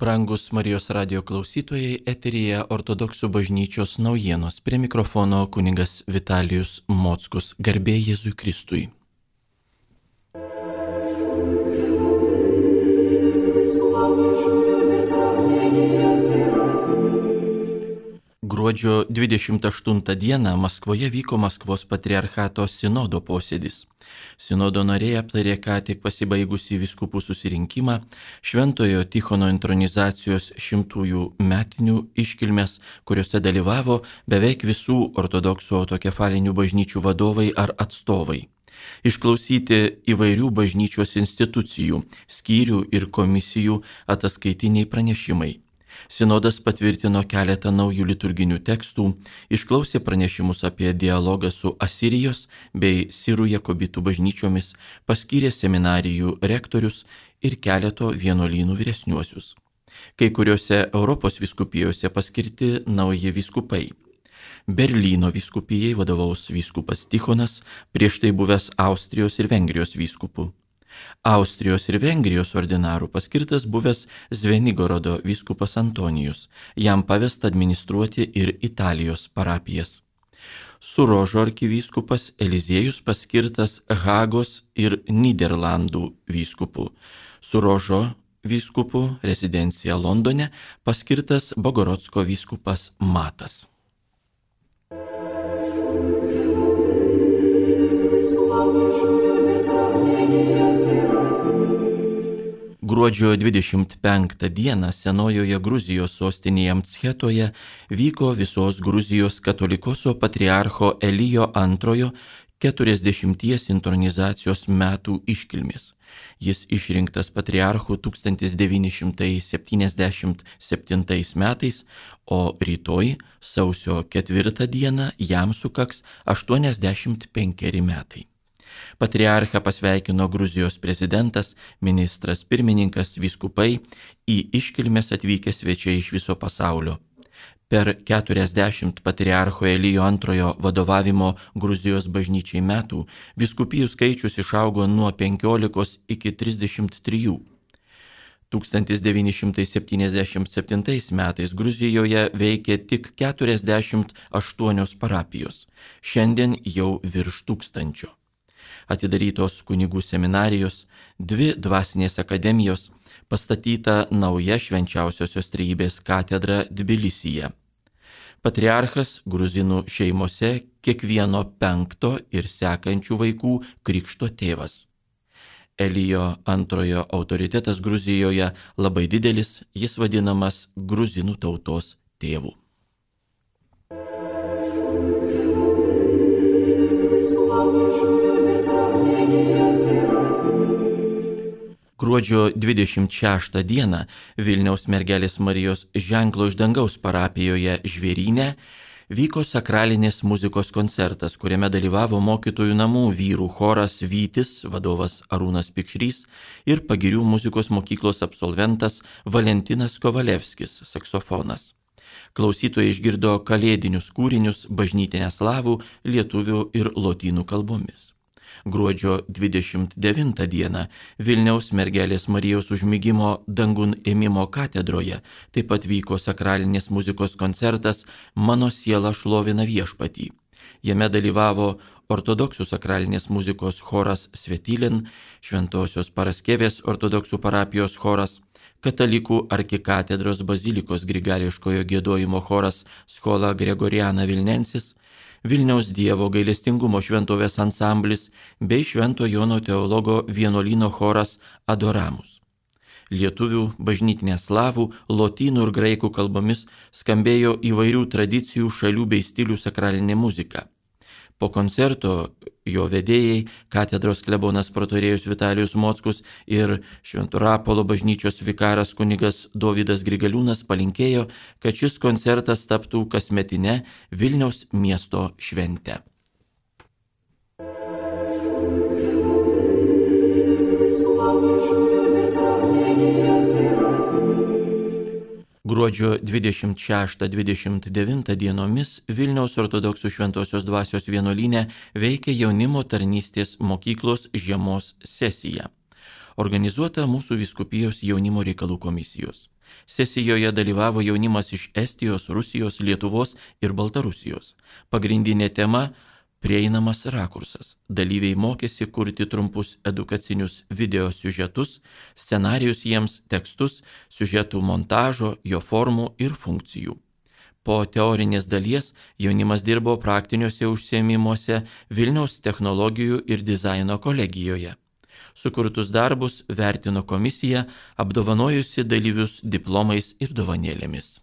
Brangus Marijos radijo klausytojai, eteryje Ortodoksų bažnyčios naujienos. Prie mikrofono kunigas Vitalijus Mockus. Garbė Jėzui Kristui. Gruodžio 28 dieną Maskvoje vyko Maskvos patriarchato sinodo posėdis. Sinodo nariai aptarė ką tik pasibaigusį vyskupų susirinkimą, Šventojo Tichono intronizacijos 100-ųjų metinių iškilmes, kuriuose dalyvavo beveik visų ortodoksų autokefalinių bažnyčių vadovai ar atstovai. Išklausyti įvairių bažnyčios institucijų, skyrių ir komisijų ataskaitiniai pranešimai. Sinodas patvirtino keletą naujų liturginių tekstų, išklausė pranešimus apie dialogą su Asirijos bei Sirų jakobitų bažnyčiomis, paskyrė seminarijų rektorius ir keleto vienuolynų vyresniuosius. Kai kuriuose Europos vyskupijose paskirti nauji vyskupai. Berlyno vyskupijai vadovaus vyskupas Tichonas, prieš tai buvęs Austrijos ir Vengrijos vyskupų. Austrijos ir Vengrijos ordinarų paskirtas buvęs Zvenigorodo vyskupas Antonijus, jam pavesta administruoti ir Italijos parapijas. Surožo arkivyskupas Eliziejus paskirtas Hagos ir Nyderlandų vyskupų. Surožo vyskupų rezidencija Londone paskirtas Bogorodsko vyskupas Matas. Gruodžio 25 dieną senojoje Gruzijos sostinėje Mtschetoje vyko visos Gruzijos katolikoso patriarcho Elijo II 40 intronizacijos metų iškilmės. Jis išrinktas patriarchu 1977 metais, o rytoj, sausio 4 dieną, jam sukaks 85 metai. Patriarchą pasveikino Gruzijos prezidentas, ministras pirmininkas, vyskupai, į iškilmes atvykę svečiai iš viso pasaulio. Per 40 patriarcho Elijo II vadovavimo Gruzijos bažnyčiai metų vyskupijų skaičius išaugo nuo 15 iki 33. 1977 metais Gruzijoje veikė tik 48 parapijos, šiandien jau virš 1000. Atidarytos kunigų seminarijos, 2 dvasinės akademijos, pastatyta nauja švenčiausiosios trejybės katedra Tbilisyje. Patriarchas gruzinų šeimose kiekvieno 5 ir sekančių vaikų krikšto tėvas. Elijo II autoritetas Gruzijoje labai didelis, jis vadinamas gruzinų tautos tėvu. Gruodžio 26 dieną Vilniaus Mergelės Marijos ženklo iš dangaus parapijoje Žvėryne vyko sakralinės muzikos koncertas, kuriame dalyvavo mokytojų namų vyrų choras Vytis, vadovas Arūnas Pikšrys ir Pagirių muzikos mokyklos absolventas Valentinas Kovalevskis, saksofonas. Klausytojai išgirdo kalėdinius kūrinius bažnytinę slavų, lietuvių ir lotynų kalbomis. Gruodžio 29 dieną Vilniaus Mergelės Marijos užmigimo dangun ėmimo katedroje taip pat vyko sakralinės muzikos koncertas Mano siela šlovina viešpatį. Jame dalyvavo ortodoksų sakralinės muzikos choras Svetilin, Šventosios Paraskevės ortodoksų parapijos choras, katalikų arkikatedros bazilikos grigališkojo giedojimo choras Skola Gregoriana Vilnensis, Vilniaus Dievo gailestingumo šventovės ansamblis bei Švento Jono teologo vienuolyno choras Adoramus. Lietuvių, bažnytinė slavų, lotynų ir graikų kalbomis skambėjo įvairių tradicijų, šalių bei stilių sakralinė muzika. Po koncerto jo vedėjai, katedros klebonas protorėjus Vitalijus Mockus ir Švento Rapolo bažnyčios vikaras kunigas Dovydas Grigaliūnas palinkėjo, kad šis koncertas taptų kasmetine Vilniaus miesto švente. Gruodžio 26-29 dienomis Vilniaus ortodoksų šventosios dvasios vienuolyne veikia jaunimo tarnystės mokyklos žiemos sesija, organizuota mūsų vyskupijos jaunimo reikalų komisijos. Sesijoje dalyvavo jaunimas iš Estijos, Rusijos, Lietuvos ir Baltarusijos. Pagrindinė tema – prieinamas rakursas. Dalyviai mokėsi kurti trumpus edukacinius video siužetus, scenarijus jiems, tekstus, siužetų montažo, jo formų ir funkcijų. Po teorinės dalies jaunimas dirbo praktiniuose užsiėmimuose Vilniaus technologijų ir dizaino kolegijoje. Sukurtus darbus vertino komisija, apdovanojusi dalyvius diplomais ir dovanėlėmis.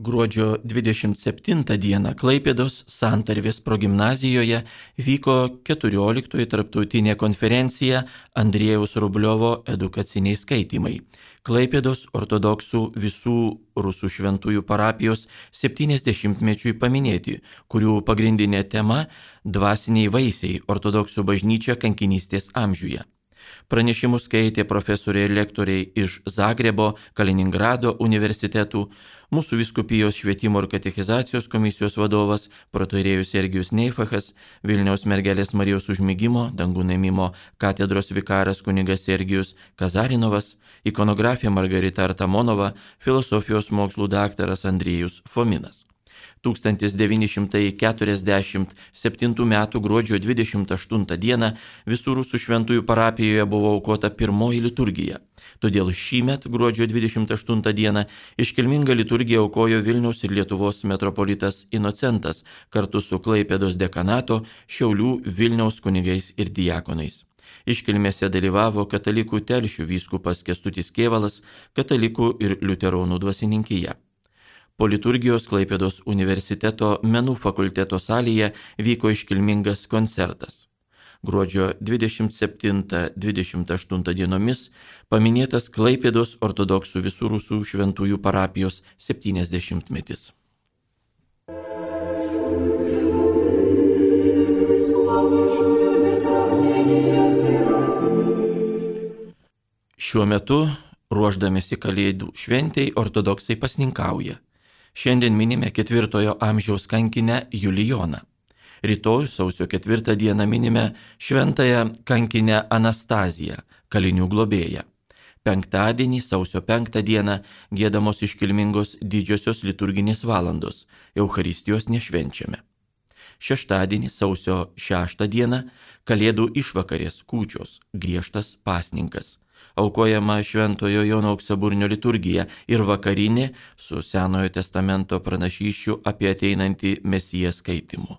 Gruodžio 27 dieną Klaipėdos Santarvės progimnazijoje vyko 14 tarptautinė konferencija Andriejaus Rubliovo edukaciniai skaitymai. Klaipėdos ortodoksų visų rusų šventųjų parapijos 70-mečiui paminėti, kurių pagrindinė tema – dvasiniai vaisiai ortodoksų bažnyčia kankinystės amžiuje. Pranešimus skaitė profesoriai ir lektoriai iš Zagrebo, Kaliningrado universitetų, mūsų vyskupijos švietimo ir katechizacijos komisijos vadovas protoierėjus Sergijus Neifachas, Vilniaus mergelės Marijos užmigimo, dangų nuėmimo katedros vikaras kunigas Sergijus Kazarinovas, ikonografė Margarita Artamonova, filosofijos mokslų daktaras Andriejus Fominas. 1947 m. gruodžio 28 d. visų rusų šventųjų parapijoje buvo aukota pirmoji liturgija. Todėl šįmet gruodžio 28 d. iškilmingą liturgiją aukojo Vilniaus ir Lietuvos metropolitas Inocentas kartu su Klaipėdos dekanato, Šiaulių, Vilniaus kunigais ir diakonais. Iškilmėse dalyvavo katalikų Telšių vyskupas Kęstutis Kėvalas, katalikų ir liuteronų dvasininkija. Po liturgijos Klaipėdos universiteto menų fakulteto salėje vyko iškilmingas koncertas. Gruodžio 27-28 dienomis paminėtas Klaipėdos ortodoksų visų rusų šventųjų parapijos 70-metis. Šiuo metu, ruošdamėsi Kalėdų šventei, ortodoksai pasninkauja. Šiandien minime 4 amžiaus kankinę Julijoną. Rytoj sausio 4 dieną minime šventąją kankinę Anastaziją, kalinių globėją. Penktadienį sausio 5 dieną giedamos iškilmingos didžiosios liturginės valandos, Eucharistijos nešvenčiame. Šeštadienį sausio 6 dieną Kalėdų išvakarės kūčios, griežtas pasninkas. Aukojama Šventojo Jono Auksaburnio liturgija ir vakarinė su Senojo testamento pranašysčių apie ateinantį Mesiją skaitimu.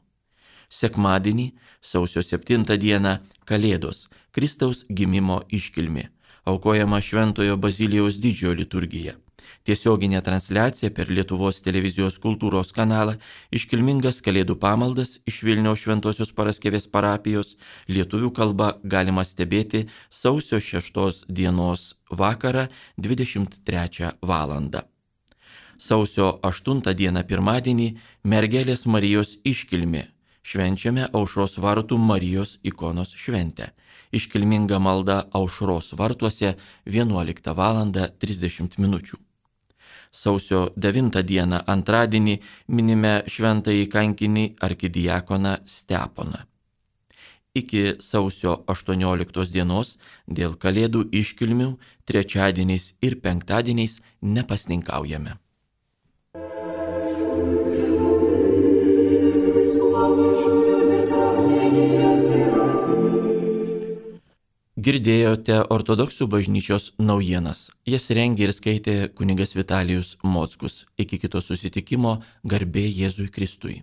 Sekmadienį, sausio 7 dieną, Kalėdos, Kristaus gimimo iškilmė. Aukojama Šventojo Bazilijaus didžiojo liturgija. Tiesioginė transliacija per Lietuvos televizijos kultūros kanalą, iškilmingas Kalėdų pamaldas iš Vilniaus Šventosios Paraskevės parapijos, lietuvių kalba galima stebėti sausio 6 dienos vakarą 23 valandą. Sausio 8 dieną pirmadienį Mergelės Marijos iškilmė. Švenčiame Aušros vartų Marijos ikonos šventę. Iškilminga malda Aušros vartuose 11 val. 30 min. Sausio 9 dieną antradienį minime šventąjį kankinį arkidiakoną Steponą. Iki sausio 18 dienos dėl Kalėdų iškilmių trečiadieniais ir penktadieniais nepasninkaujame. Girdėjote ortodoksų bažnyčios naujienas. Jas rengė ir skaitė kunigas Vitalijus Mockus. Iki kito susitikimo, garbė Jėzui Kristui.